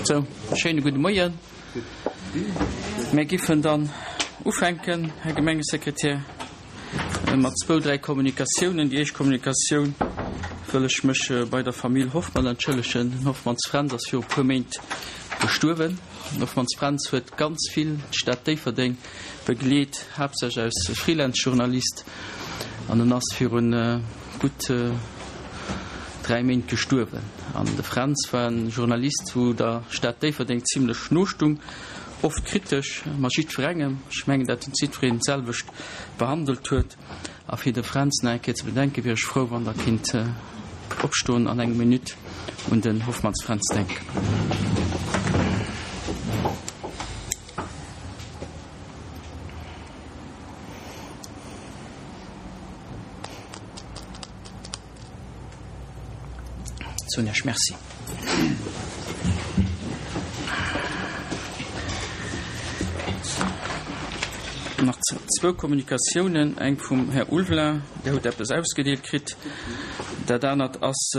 Sou, schéine gudde Moien. Mir giffen dann ufänken, Här Gemengesekretär, mat zwou, dräi Kommunikatiounen. Déi éischt Kommunikatioun wëll ech mech bei der Famill Hoffmann entschëllegen. Den Hoffmanns Fränz ass viru puer Méint gestuerwen. Den Hoffmanns Fränz huet ganz vill d'Stad Déifferdeng begleet, haaptsächlech als Freelance-Journalist, an en ass virun gutt 3 Méint gestuerwen. An de Fränz war en Journalist, wou der Stad Déifferdeng zimlech no stung, oft kritesch, mat jiddwerengem. Ech mengen, dat en jiddwereen d'selwecht behandelt huet. A fir de Fränz nach eng Kéier ze bedenken, wier ech frou, wann Der kinnt opstoen an eng Minutt un den Hoffmanns Fränz denken. Soen Iech Merci. Nach zwou Kommunikatiounen, eng vum Här Ulveling, Dir hutt eppes ausgedeelt kritt. Dat anert ass,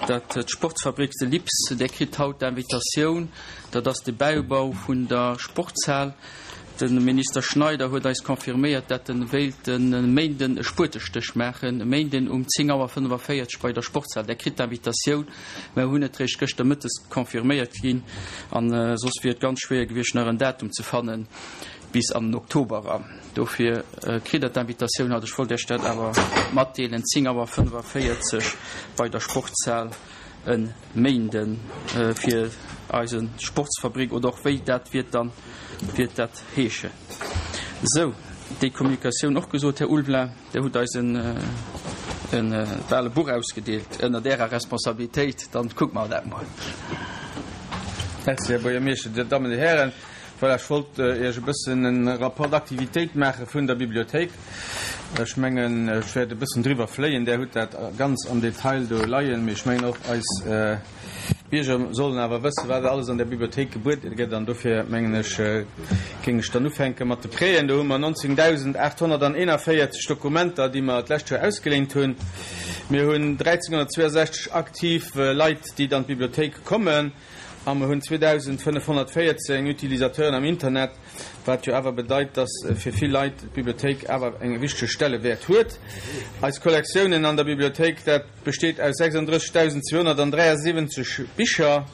dat d'Sportsfabrik de Lips, Dir kritt haut d'Invitatioun, dat ass de Bäibau vun der Sportshal. De Minister Schneider huet eis confirméiert, dat en wéilt e Méinden e Spuetestéch maachen, e Méinden um 10 Auer 45 bei der Sportshal. Der kritt d'Invitatioun, mer hunn et réischt gëschter mëttes confirméiert ginn an soss wier et ganz schwéier gewiescht nach en Datum ze fannen bis an den Oktober eran. Dofir kritt der d'Invitatioun haut. Ech wollt Iech dat awer matdeelen, 10 Auer 45 bei der Sportshal. E Méinden fir eise Sportsfabrik oder och wéi dat wiert dann wiert dat heeschen. Sou, déi Kommunikatioun och gesot, Här Ulveling, Dir hutt eis en bal e Buch ausgedeelt ënnert Ärer Responsabilitéit, dann kucke mer dat mol. Merci, Här Buergermeeschter, Dir Dammen, Dir Hären. Voilà, ech wollt Iech e bëssen e Rapport d'activitéit maache vun der Bibliothéik. Ech mengen, ech wäert e bëssen driwwer fléien. Där hutt dat ganz am Detail do leien. Mee ech mengen och eis Bierger sollen awer wëssen, wat alles an der Bibliothéik gebuede gëtt. An dofir mengen ech, géing ech dann ufänke mat de Prêten. Do hu mer 19.841 Dokumenter, déi mer d'lescht Joer ausgeléint hunn. Mir hunn 1.362 aktiv Leit, déi an d'Bibliothéik kommen. A mer hunn 2.514 Utilisateuren am Internet, wat jo awer bedeit, dass fir vill Leit d'Bibliothéik awer eng wichteg Stellewäert huet. Eis Kollektiounen an der Bibliothéik, dat besteet aus 36.273 Bicher,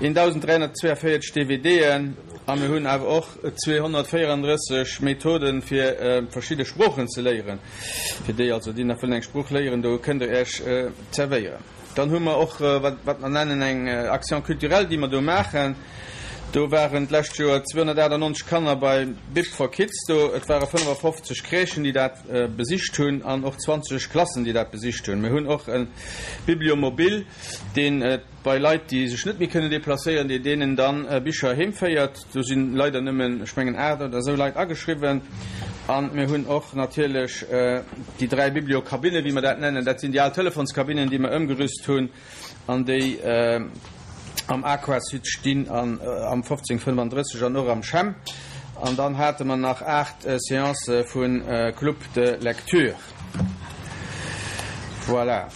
1.342 DVDen a mir hunn awer och 234 Methoden, fir verschidde Sproochen ze léieren. Fir déi also, déi nach wëllen eng Sprooch léieren, do kënnt Der Iech zerwéieren. Dann hu mer och, wat mer nennen eng Action culturelle, déi mer do maachen. Do waren d'lescht Joer 298 Kanner bei Bib for Kids do. Et ware 55 Crèchen, déi dat besicht hunn an och 20 Klassen, déi dat besicht hunn. Mir hunn och e Bibliomobile, deen bei Leit, déi sech net méi kënnen deplacéieren, dee deenen dann Bicher heem féiert. Do si leider nëmmen, ech mengen, 8 oder esou Leit ageschriwwen. A mir hunn och natierlech déi 3 Bibliokabinnen, wéi mer dat nennen. Dat sinn déi al Telefonskabinnen, déi mer ëmgerüst hunn an déi am Aquasud stinn an am 1535 an och am CHEM. An dann hate mer nach 8 Seancë vu Club de lecture. Voilà.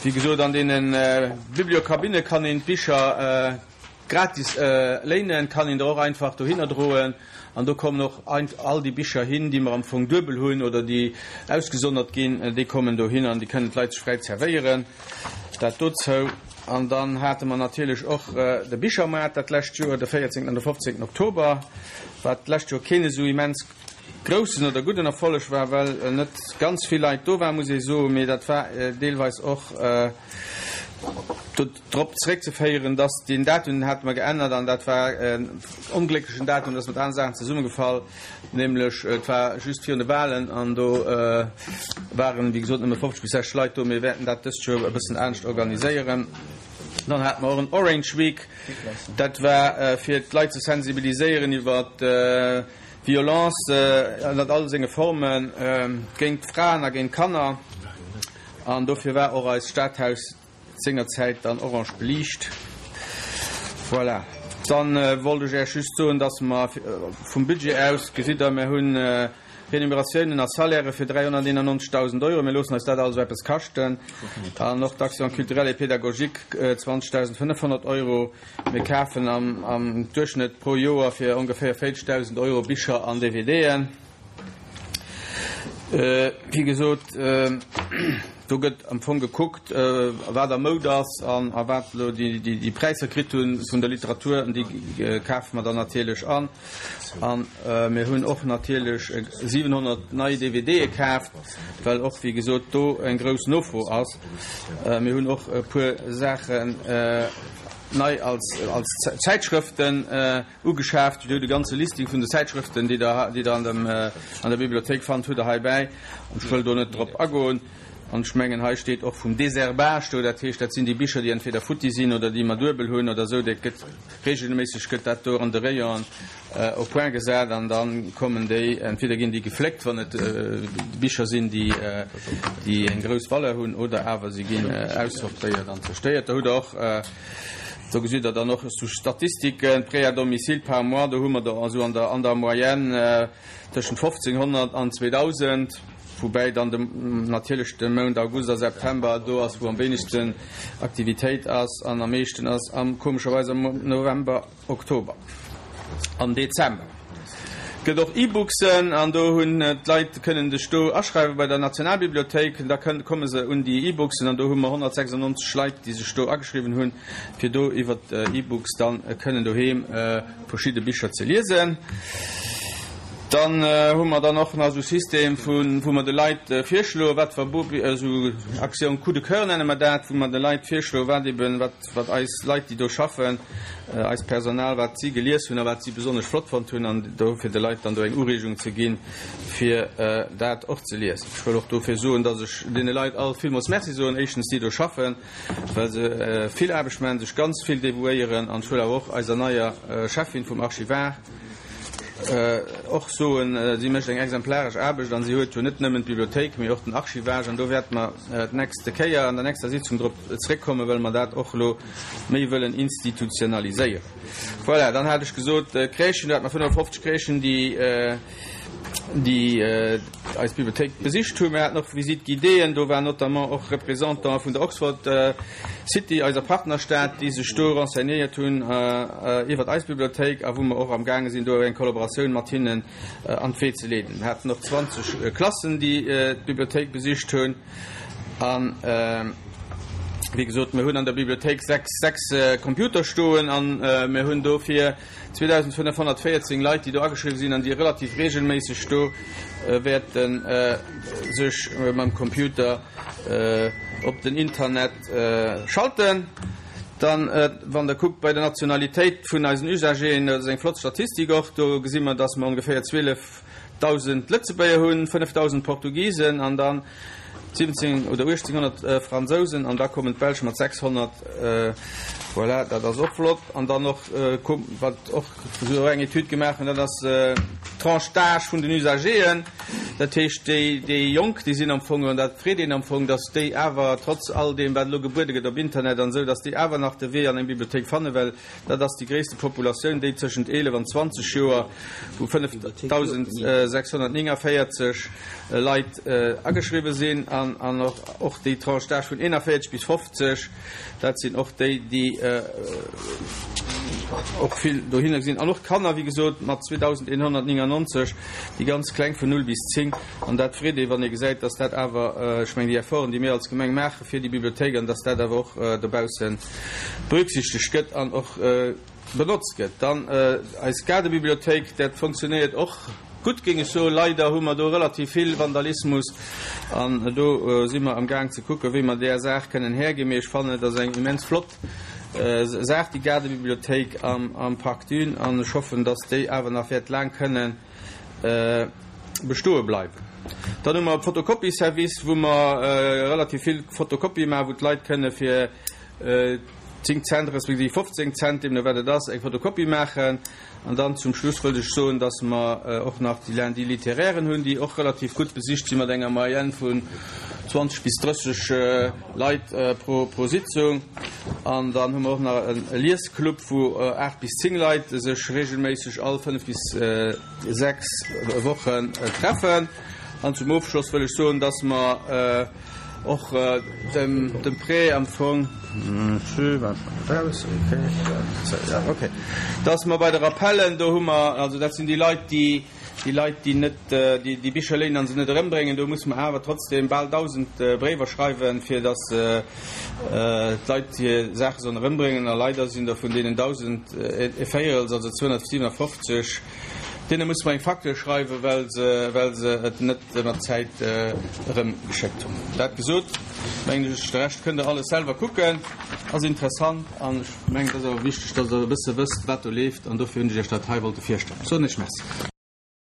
Wéi gesot, an deene Bibliokabinne kann een d'Bicher Gratis léinen kann een der och einfach dohinner droen an do kommen och all déi Bicher hin, déi mer am Fong duebel hunn oder déi ausgesonnert ginn, déi kommen dohin an déi kënnen d'Leit sech fräi zerwéieren. Dat dozou. An dann hate mer natierlech och de Bichermaart dat lescht Joer, de 14. an de 15. Oktober, wat d'lescht Joer keen esou immens groussen oder gudden Erfolleg war, well net ganz vill Leit do waren, muss ee soen, mee dat war deelweis och drop zeréckzeféieren, dass deen Datum, deen hate mer geännert an dat war en onglécklechen Datum, dat ass mat anere Saachen zesummegefall, nämlech et war just virun de Wahlen an do waren, wéi gesot, nëmme 50 bis 60 Leit do. Mir wäerten dat dëst Joer e bëssen anescht organiséieren. Dann hate mer och en Orange Week, dat war fir d'Leit ze sensibiliséieren iwwer d'Violence ënnert all senge Forme géint Fraen a géint Kanner an dofir war och eist Stadhaus Sengerzäit dann orange beliicht. Voilà. Dann wollt ech Äech just soen, dass mer vum Budget aus, gesitt Der, mer hunn. Renumeratiounen a Salairë fir 391.000 Euro. Mir loossen eis dat also eppes kaschten. An och d'Action culturelle et pédagogique 20.500 Euro. Mir kafen am Duerchschnëtt pro Joer fir ongeféier 40.000 Euro Bicher an DVDen. Wéi gesot, do gëtt am Fong gekuckt, wat a Moud ass an a wat elo déi Präisser kritt hu vun der Literatur, an déi kafe mer dann natierlech an. A mir hunn och natierlech 700 nei DVDe kaaft, well och, wéi gesot, do eng grouss Nofro ass. Mir hunn och e puer Saachen nei als Zäitschrëften Ugeschaaft. Dir hutt e ganze Listing vun de Zäitschrëften, déi Der, déi Der an dem, an der Bibliothéik fannt, hutt Der heibäi. An ech wëll do net drop agoen. An ech mengen, hei steet och vum Désherbage do, dat heescht, dat sinn déi Bicher, déi entweder futti sinn oder déi mer duebel hunn oder esou. Dat gëtt regelméisseg gëtt dat do an de Rayonen au point gesat an da kommen déi, entweder ginn déi gefléckt, wann et Bicher sinn, déi, déi eng grouss Valeur hunn, oder awer se ginn aussortéiert an zerstéiert. Da hutt Der och. Do gesitt Der dann och esou Statistiken, Prêts à domicile par mois, do hu mer der esou an der, an der Moyenne tëschent 1.500 an 2.000, woubäi dann de, natierlech de Mount August a September do ass, wou am wéinegsten Aktivitéit ass an am meeschten ass am, komescherweis am November. Oktober an Dezember gëtt och E-Booksen an do hunn d'Leit kënnen sech do aschreiwe bei der Nationalbibliothéik. Da kënn komme se un déi E-Booksen an do hu mer 196 Leit, déi sech do ageschriwwen hunn, fir do iwwer d'E-Books dann kënnen doheem verschidde Bicher ze liesen. Dann hu mer dann och nach esou System vu wou mer de Leit virschloen, wat ver esou Action coup de cœur nenne mer dat, wou mer de Leit virschloen, wat eben wat wat eis Leit, déi do schaffen, eist Personal, wat si gelies hunn a wat si besonnesch flott fonnt hunn, an do fir de Leit dann do eng Ureegung ze ginn, fir dat och ze liesen. Ech wëll och dofir soen, dass ech deene Leit all villmools Merci soen, éischtens déi do schaffen, well se vill Aarbecht maachen, sech ganz vill devouéieren, an ech wëll awer och eiser neier Cheffin vum Archivar och soen, si mécht eng exemplaresch Aarbecht an si huet jo net nëmmen d'Bibliothéik, mee och den Archivage, an do wäerte mer d'nächste Kéier an der nächster Sitzung drop zréckkommen, well mer dat och elo méi wëllen institutionaliséieren. Voilà, dann hat ech gesot, Crèchen, do hate mer 55 Crèchen, déi déi eis Bibliothéik besicht hunn. Mir haten och Visite guidéeën, do waren notamment och Représentanten vun der Oxford City, eiser Partnerstad, déi sech do renseignéiert hunn iwwert eis Bibliothéik a wou mer och am gaange sinn, do eng Kollaboratioun mat hinnen an d'Wee ze leeden. Mir haten och 20 Klassen, déi d'Bibliothéik besicht hunn. An, wéi gesot, mir hunn an der Bibliothéik 6 Computer stoen an mir hunn dofir 2.514 Leit, déi do ageschriwwen sinn an déi relativ regelméisseg do wäerte sech mam Computer op den Internet schalten. Dann, wann Der kuckt bei der Nationalitéit vun eisen Usageren, dat ass eng flott Statistik och, do gesi mer, dass mer ongeféier 12.000 Lëtzebuerger hunn, 5.000 Portugisen an dann 17 oder 1800 Fransousen an da kommen d'Belsch mat 600. Voilà, dat ass och flott. An dann och, wat och esou eng Etüd gemaach hunn, dat ass d'Tranche d'âge vun den Usageren. Dat heescht, déi, déi Jonk, déi sinn am Fong, an dat freet een am Fong, datt déi awer trotz all deem, wat elo gebuede gëtt op Internet an esou, datt déi awer nach de Wee an eng Bibliothéik fannen, well Dat ass déi gréisste Populatioun, déi tëschent 11 an 20 Joer, wou 5.649 Leit ageschriwwe sinn, an och déi Tranche d'âge vun 41 bis 50, dat sinn och déi, déi och vill dohinner sinn. An och d'Kanner, wéi gesot, mat 2.199, déi ganz Kleng vun 0 bis 10. An dat freet ee, wann ee gesäit, dass dat awer, ech mengen, déi Efforten, déi mir als Gemeng maachen fir déi Bibliothéik, an dass dat awer och dobausse berücksichtegt gëtt an och benotzt gëtt. Dann eis Gaardebibliothéik, dat funktionéiert och gutt, géing ech soen. Leider hu mer do relativ vill Vandalismus an do si mer amgaang ze kucken, wéi mer där Saach kënnen Här ginn. Mee ech fannen, et ass eng immens flott Saach, déi Gaardebibliothéik am Parc Dune, an ech hoffen, dass déi awer nach wäert laang kënnen bestoe bleiwen. Dann hu mer e Photocopie-Service, wou mer relativ vill Photocopië maachen, wou d'Leit kënne fir. 10 Cent respektiv 15 Cent, deemno wat et ass, eng Fotokopie maachen. An dann zum Schluss wëllt ech soen, dass mer och nach déi Lundis littéraires hunn, déi och relativ gutt besicht sinn, mat enger Moyenne vun 20 bis 30 Leit pro Sitzung. An dann hu mer och nach e Liesclub, wou 8 bis 10 Leit sech regelméisseg all 5 bis 6 Wochen treffen. An zum Ofschloss wëll ech soen, dass mer och dem Prêt am Fong, dass mer bei de Rappellen, do hu mer, also dat sinn déi Leit, déi déi Leit, déi net déi Bicher léinen a se net erëmbréngen, do musse mer awer trotzdem bal 1.000 Bréiwer schreiwen, fir dass d'Leit hir Saache sollen erëmbréngen. A leider sinn der vun deenen 1.000 e Véierels, also 257, Deene musse mer eng Facture schreiwen, well se, well se et net mat Zäit erëmgeschéckt hunn. Dat gesot, mengen ech, de Rescht kënnt Der alles selwer kucken, ass interessant an ech mengen, et ass awer wichteg, dass Der e bësse wësst, wat do leeft an dofir hunn ech Iech dat hei wollte virstellen. Soen Iech Merci.